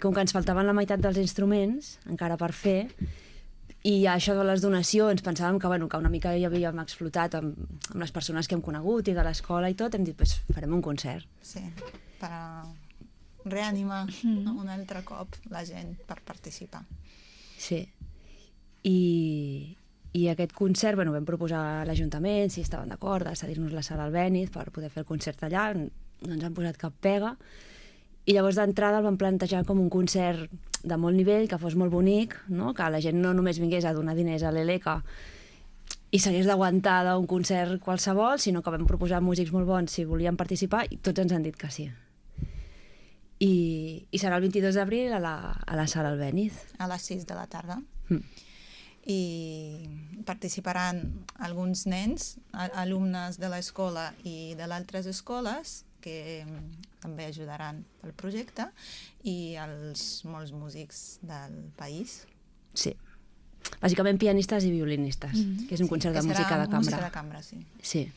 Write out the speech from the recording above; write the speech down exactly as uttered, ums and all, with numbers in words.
Com que ens faltaven la meitat dels instruments, encara per fer, i això de les donacions, pensàvem que, bueno, que una mica ja havíem explotat amb, amb les persones que hem conegut i de l'escola i tot, hem dit, pues, farem un concert. Sí, per reanimar mm. un altre cop la gent per participar. Sí. I, i aquest concert, bueno, vam proposar a l'Ajuntament si estaven d'acord de cedir-nos la sala Albéniz per poder fer el concert allà, no ens han posat cap pega, i llavors d'entrada el vam plantejar com un concert de molt nivell, que fos molt bonic, no? Que la gent no només vingués a donar diners a l'Eleca i s'hagués d'aguantar d'un concert qualsevol, sinó que vam proposar músics molt bons si volien participar i tots ens han dit que sí. I, i serà el vint-i-dos d'abril a, la, a la sala Albéniz. A les sis de la tarda. Mm. I participaran alguns nens, alumnes de l'escola i de altres escoles, que també ajudaran pel projecte, i els molts músics del país. Sí. Bàsicament pianistes i violinistes, mm-hmm. que és un concert sí, de música de cambra. Música de cambra, sí. Sí.